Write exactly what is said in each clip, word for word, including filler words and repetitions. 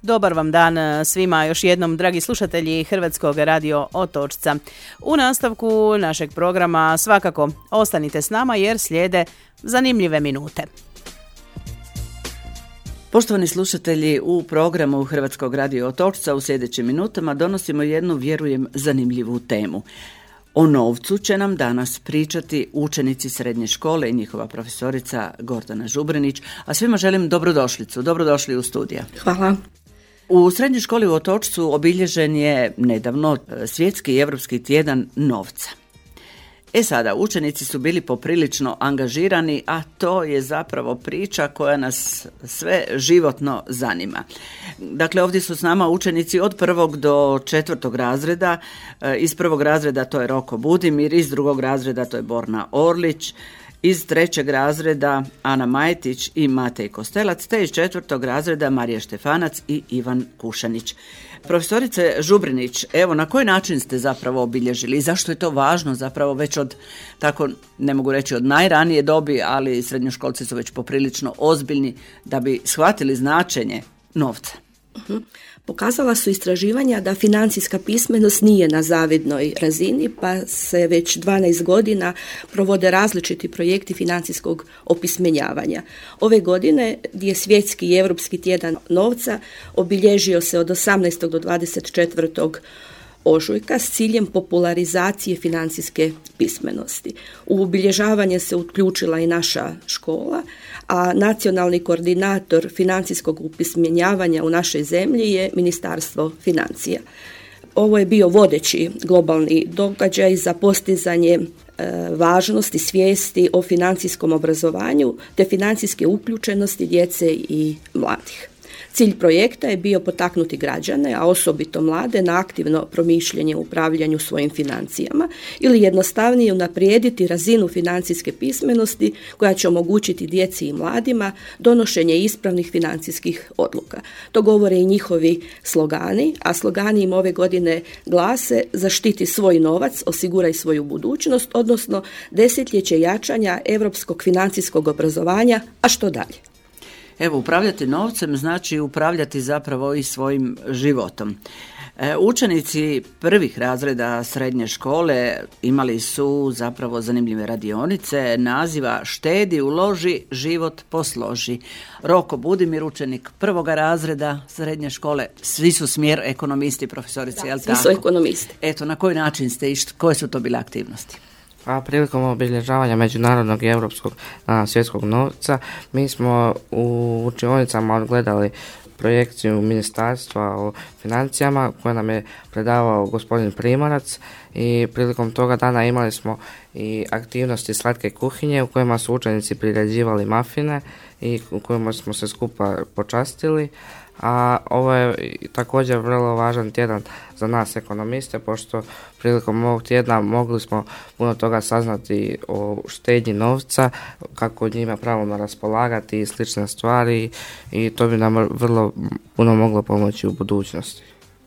Dobar vam dan svima još jednom, dragi slušatelji Hrvatskog radio Otočca. U nastavku našeg programa svakako ostanite s nama jer slijede zanimljive minute. Poštovani slušatelji, u programu Hrvatskog radio Otočca u sljedećim minutama donosimo jednu, vjerujem, zanimljivu temu. O novcu će nam danas pričati učenici srednje škole i njihova profesorica Gordana Žubrinić, a svima želim dobrodošlicu. Dobrodošli u studija. Hvala. U srednjoj školi u Otočcu obilježen je nedavno svjetski i europski tjedan novca. E sada, učenici su bili poprilično angažirani, a to je zapravo priča koja nas sve životno zanima. Dakle, ovdje su s nama učenici od prvog do četvrtog razreda. Iz prvog razreda to je Roko Budimir, iz drugog razreda to je Borna Orlić, iz trećeg razreda Ana Majtić i Matej Kostelac, te iz četvrtog razreda Marija Štefanac i Ivan Kušanić. Profesorice Žubrinić, evo na koji način ste zapravo obilježili i zašto je to važno zapravo već od, tako ne mogu reći od najranije dobi, ali srednjoškolci su već poprilično ozbiljni da bi shvatili značenje novca? Uh-huh. Pokazala su istraživanja da financijska pismenost nije na zavidnoj razini, pa se već dvanaest godina provode različiti projekti financijskog opismenjavanja. Ove godine je svjetski i europski tjedan novca obilježio se od osamnaestog do dvadeset četvrtog ožujka s ciljem popularizacije financijske pismenosti. U obilježavanje se uključila i naša škola, a nacionalni koordinator financijskog upismenjavanja u našoj zemlji je Ministarstvo financija. Ovo je bio vodeći globalni događaj za postizanje e, važnosti svijesti o financijskom obrazovanju te financijske uključenosti djece i mladih. Cilj projekta je bio potaknuti građane, a osobito mlade, na aktivno promišljanje u upravljanju svojim financijama ili jednostavnije unaprijediti razinu financijske pismenosti koja će omogućiti djeci i mladima donošenje ispravnih financijskih odluka. To govore i njihovi slogani, a slogani im ove godine glase: zaštiti svoj novac, osiguraj svoju budućnost, odnosno desetljeće jačanja europskog financijskog obrazovanja, a što dalje? Evo, upravljati novcem znači upravljati zapravo i svojim životom. E, učenici prvih razreda srednje škole imali su zapravo zanimljive radionice naziva Štedi, uloži, život posloži. Roko Budimir, učenik prvoga razreda srednje škole, svi su smjer ekonomisti, profesorici, jel tako? Svi su ekonomisti. Eto, na koji način ste išli, koje su to bile aktivnosti? A prilikom obilježavanja međunarodnog i europskog dana svjetskog novca mi smo u učionicama odgledali projekciju ministarstva o financijama koje nam je predavao gospodin Primorac i prilikom toga dana imali smo i aktivnosti slatke kuhinje u kojima su učenici priređivali mafine i u kojima smo se skupa počastili. A ovo je također vrlo važan tjedan za nas ekonomiste, pošto prilikom ovog tjedna mogli smo puno toga saznati o štednji novca, kako njima pravilno raspolagati i slične stvari, i to bi nam vrlo puno moglo pomoći u budućnosti.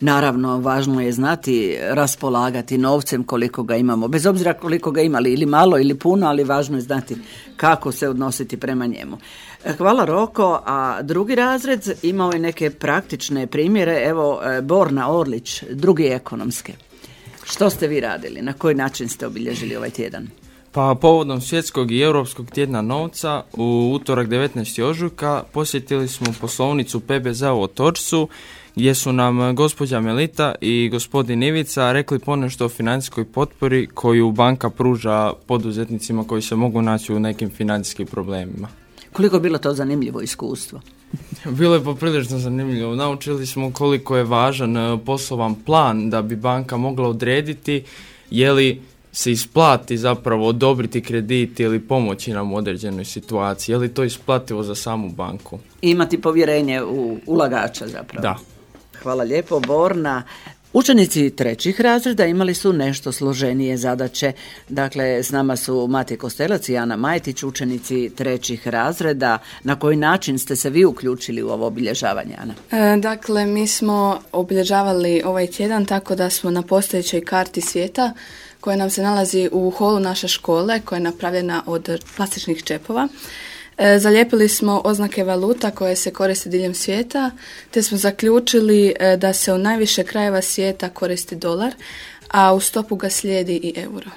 Naravno, važno je znati raspolagati novcem koliko ga imamo, bez obzira koliko ga imali, ili malo ili puno, ali važno je znati kako se odnositi prema njemu. Hvala Roko, a drugi razred imao je neke praktične primjere, evo Borna Orlić, drugi ekonomske. Što ste vi radili, na koji način ste obilježili ovaj tjedan? Pa povodom svjetskog i europskog tjedna novca u utorak devetnaestog ožujka posjetili smo poslovnicu P B Z u Otočcu, gdje su nam gospođa Melita i gospodin Ivica rekli ponešto o financijskoj potpori koju banka pruža poduzetnicima koji se mogu naći u nekim financijskim problemima. Koliko je bilo to zanimljivo iskustvo? Bilo je poprilično zanimljivo. Naučili smo koliko je važan poslovan plan da bi banka mogla odrediti je li se isplati zapravo odobriti kredit ili pomoći nam u određenoj situaciji. Je li to isplativo za samu banku? Imati povjerenje u ulagača zapravo. Da. Hvala lijepo, Borna. Učenici trećih razreda imali su nešto složenije zadaće. Dakle, s nama su Matej Kostelac i Ana Majtić, učenici trećih razreda. Na koji način ste se vi uključili u ovo obilježavanje, Ana? E, dakle, mi smo obilježavali ovaj tjedan tako da smo na postojećoj karti svijeta koja nam se nalazi u holu naše škole, koja je napravljena od plastičnih čepova. E, zalijepili smo oznake valuta koje se koriste diljem svijeta, te smo zaključili e, da se u najviše krajeva svijeta koristi dolar, a u stopu ga slijedi i euro.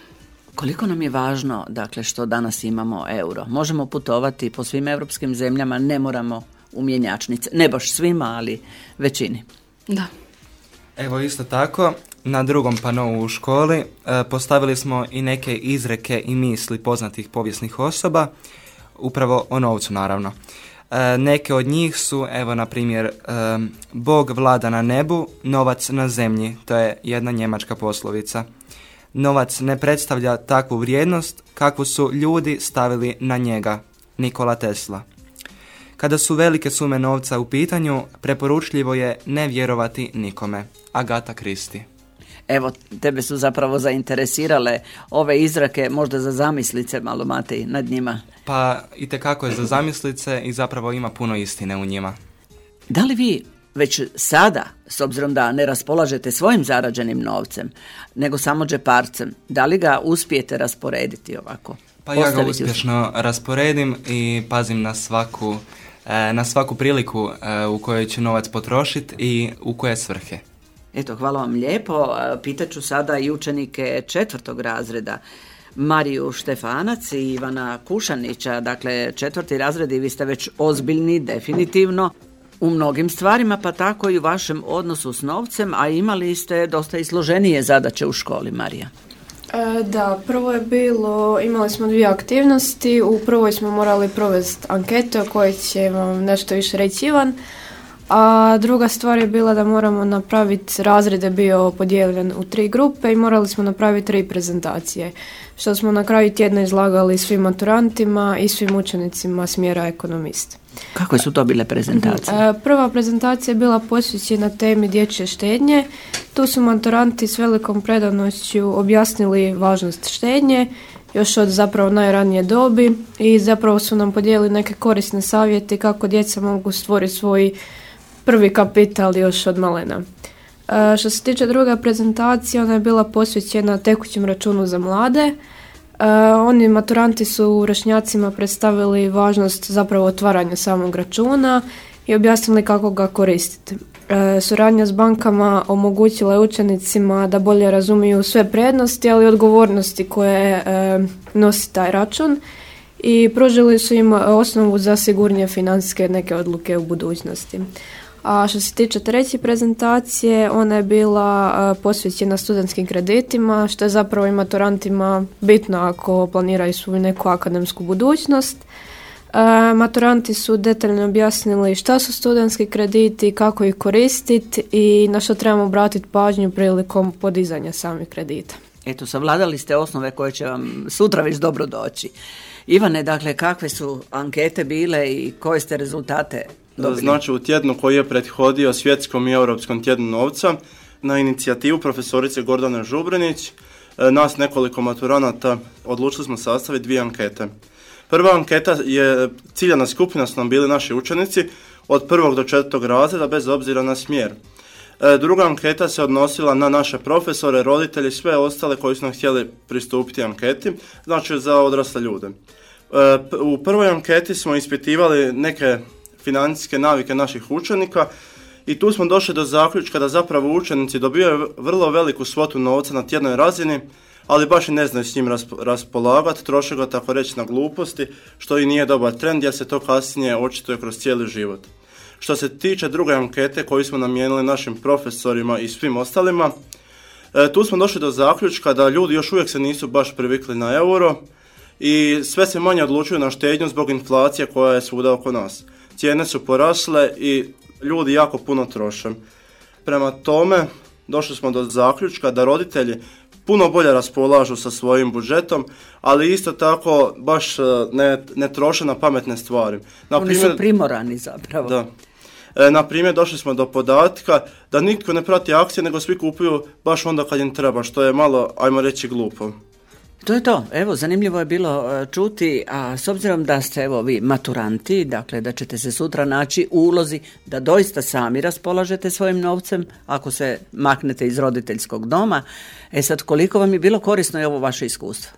Koliko nam je važno, dakle, što danas imamo euro? Možemo putovati po svim europskim zemljama, ne moramo u mjenjačnice. Ne baš svima, ali većini. Da. Evo isto tako, na drugom panou u školi e, postavili smo i neke izreke i misli poznatih povijesnih osoba, upravo o novcu naravno. E, neke od njih su, evo na primjer, e, Bog vlada na nebu, novac na zemlji, to je jedna njemačka poslovica. Novac ne predstavlja takvu vrijednost kakvu su ljudi stavili na njega, Nikola Tesla. Kada su velike sume novca u pitanju, preporučljivo je ne vjerovati nikome. Agatha Christie. Evo, tebe su zapravo zainteresirale ove izrake, možda za zamislice malo, Matej, nad njima. Pa itekako je za zamislice i zapravo ima puno istine u njima. Da li vi već sada, s obzirom da ne raspolažete svojim zarađenim novcem, nego samo džeparcem, da li ga uspijete rasporediti ovako? Pa ja ga uspješno rasporedim i pazim na svaku, na svaku priliku u kojoj ću novac potrošiti i u koje svrhe. Eto, hvala vam lijepo. Pitaću sada i učenike četvrtog razreda, Mariju Štefanac i Ivana Kušanića. Dakle, četvrti razred i vi ste već ozbiljni, definitivno, u mnogim stvarima, pa tako i u vašem odnosu s novcem, a imali ste dosta i složenije zadaće u školi, Marija. E, da, prvo je bilo, imali smo dvije aktivnosti. U prvoj smo morali provesti anketu o kojoj će vam nešto više reći Ivan, a druga stvar je bila da moramo napraviti, razred je bio podijeljen u tri grupe i morali smo napraviti tri prezentacije, što smo na kraju tjedna izlagali svim maturantima i svim učenicima smjera ekonomist. Kako su to bile prezentacije? Prva prezentacija je bila posvećena temi dječje štednje. Tu su maturanti s velikom predanošću objasnili važnost štednje još od zapravo najranije dobi i zapravo su nam podijelili neke korisne savjete kako djeca mogu stvoriti svoj prvi kapital još od malena. E, što se tiče druga prezentacija, ona je bila posvećena tekućem računu za mlade. E, oni maturanti su vršnjacima predstavili važnost zapravo otvaranja samog računa i objasnili kako ga koristiti. E, suradnja s bankama omogućila je učenicima da bolje razumiju sve prednosti, ali i odgovornosti koje e, nosi taj račun i pružili su im osnovu za sigurnije financijske neke odluke u budućnosti. A što se tiče treće prezentacije, ona je bila posvećena studentskim kreditima, što je zapravo i maturantima bitno ako planiraju svoju neku akademsku budućnost. E, maturanti su detaljno objasnili šta su studentski krediti, kako ih koristiti i na što trebamo obratiti pažnju prilikom podizanja samih kredita. Eto, savladali ste osnove koje će vam sutra već dobro doći. Ivane, dakle, kakve su ankete bile i koje ste rezultate dobili? Znači, u tjednu koji je prethodio svjetskom i europskom tjednu novca, na inicijativu profesorice Gordane Žubrinić, nas nekoliko maturanata odlučili smo sastaviti dvije ankete. Prva anketa je, ciljana skupina su nam bili naši učenici od prvog do četvrtog razreda bez obzira na smjer. Druga anketa se odnosila na naše profesore, roditelje i sve ostale koji su nam htjeli pristupiti anketi, znači za odrasle ljude. U prvoj anketi smo ispitivali neke financijske navike naših učenika i tu smo došli do zaključka da zapravo učenici dobivaju vrlo veliku svotu novca na tjednoj razini, ali baš i ne znaju s njim raspolagati, troše ga tako reći na gluposti, što i nije dobar trend jer se to kasnije očituje kroz cijeli život. Što se tiče druge ankete koju smo namijenili našim profesorima i svim ostalima, tu smo došli do zaključka da ljudi još uvijek se nisu baš privikli na euro i sve se manje odlučuju na štednju zbog inflacije koja je svuda oko nas. Cijene su porasle i ljudi jako puno troše. Prema tome, došli smo do zaključka da roditelji puno bolje raspolažu sa svojim budžetom, ali isto tako baš ne, ne troše na pametne stvari. Na Oni primjer, su primorani zapravo. Da. E, na primjer, došli smo do podatka da nitko ne prati akcije, nego svi kupuju baš onda kad im treba, što je malo, ajmo reći, glupo. To je to. Evo, zanimljivo je bilo čuti, a s obzirom da ste evo vi maturanti, dakle da ćete se sutra naći u ulozi da doista sami raspolažete svojim novcem ako se maknete iz roditeljskog doma. E sad, koliko vam je bilo korisno i ovo vaše iskustvo?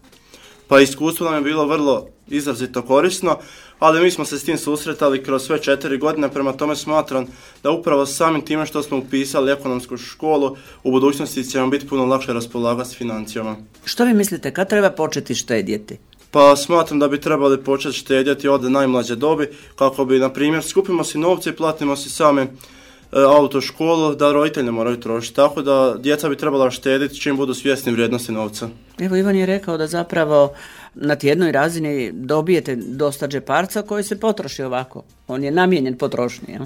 Pa iskustvo nam je bilo vrlo izrazito korisno. ali mi smo se s tim susretali kroz sve četiri godine, prema tome smatram da upravo samim time što smo upisali ekonomsku školu, u budućnosti će nam biti puno lakše raspolagati s financijama. Što vi mislite, kad treba početi štedjeti? Pa smatram da bi trebali početi štedjeti od najmlađe dobi, kako bi, na primjer, skupimo si novce i platimo si same e, autoškolu, da roditelji ne moraju trošiti. Tako da djeca bi trebala štediti čim budu svjesni vrijednosti novca. Evo, Ivan je rekao da zapravo na tjednoj razini dobijete dosta džeparca koji se potroši ovako. On je namijenjen potrošnji, jel?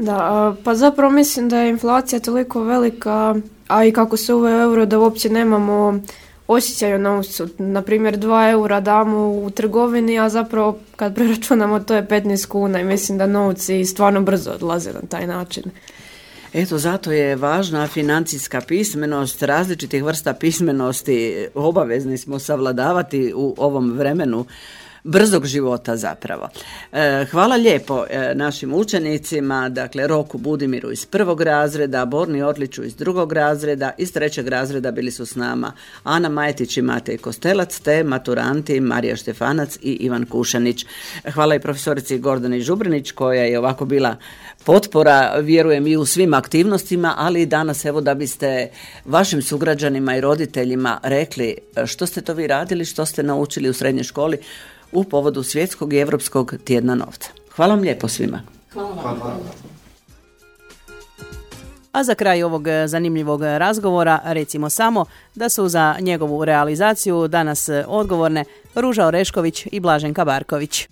Da, pa zapravo mislim da je inflacija toliko velika, a i kako se uveo euro, da uopće nemamo osjećaj o novcu. Naprimjer, dva eura damo u trgovini, a zapravo kad preračunamo to je petnaest kuna i mislim da novci stvarno brzo odlaze na taj način. Eto, zato je važna financijska pismenost, različitih vrsta pismenosti obavezni smo savladavati u ovom vremenu brzog života zapravo. E, hvala lijepo e, našim učenicima, dakle Roku Budimiru iz prvog razreda, Borni Orliću iz drugog razreda, iz trećeg razreda bili su s nama Ana Majetić i Matej Kostelac, te maturanti Marija Štefanac i Ivan Kušanić. Hvala i profesorici Gordani Žubrinić koja je ovako bila potpora, vjerujem, i u svim aktivnostima, ali i danas, evo, da biste vašim sugrađanima i roditeljima rekli što ste to vi radili, što ste naučili u srednjoj školi u povodu Svjetskog i Europskog tjedna novca. Hvala vam lijepo svima. Hvala vam. Hvala. A za kraj ovog zanimljivog razgovora recimo samo da su za njegovu realizaciju danas odgovorne Ruža Orešković i Blaženka Barković.